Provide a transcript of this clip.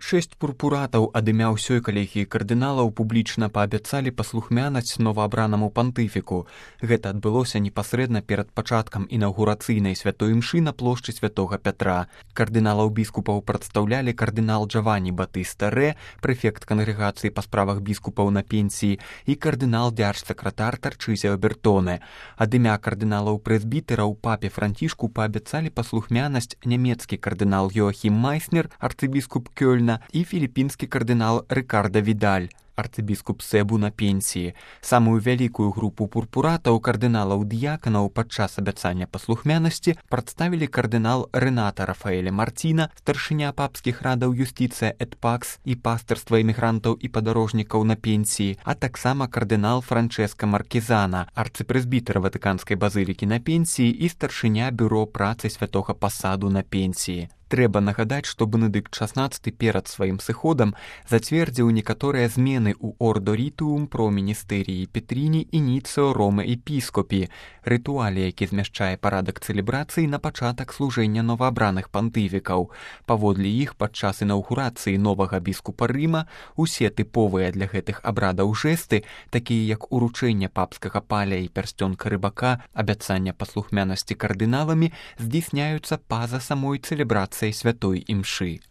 6 пурпуратаў ад імя ўсёй калегіі кардыналаў публічна паабяцалі паслухмянасць новаабранаму пантыфіку. Гэта адбылося непасрэдна перад пачаткам інаўгурацыйнай святой імшы на плошчы святога Пятра. Кардыналаў біскупаў прадстаўлялі кардынал Джаванні Батыста Рэ, прэфект кангрэгацыі па справах біскупаў на пенсіі, і кардынал дзярж-сакратар Тарчызіо Бертоне. Ад імя кардыналаў-прэзбітэраў папе Францішку паабяцалі паслухмянасць нямецкі кардынал Йоахім Майснер, арцыбіскуп Кёльна, і філіпінскі кардынал Рыкарда Відаль, арцыбіскуп Себу на пенсіі. Самую вялікую групу пурпуратаў кардыналаў-дыяканаў падчас абяцання паслухмянасці прадставілі кардынал Рэната Рафаэля Марціна, старшыня папскіх радаў юстыцыя эт пакс і пастырства эмігрантаў і падарожнікаў на пенсіі, а таксама кардынал Франчэска Маркізана, арцыпрэзбітэр Ватыканскай базылікі на пенсіі і старшыня бюро працы святога пасаду на пенсіі. Трэба нагадаць, што Бенедыкт XVI перад сваім сыходам зацвердзіў некаторыя змены ў Ордо Рітуум про міністэріі Петріні ініцыо Роме Епіскопі, рытуале, які змяшчае парадак цэлебрацыі на пачатак служэння новаабраных пантыфікаў. Паводле іх, падчас інаўгурацыі новага біскупа Рыма усе тыповыя для гэтых абрадаў жэсты, такія як уручэнне папскага паля і пярсцёнка рыбака, абяцання паслухмянасці кардыналамі, здзейсняюцца па-за самой цэлебрацыяй святой імшы.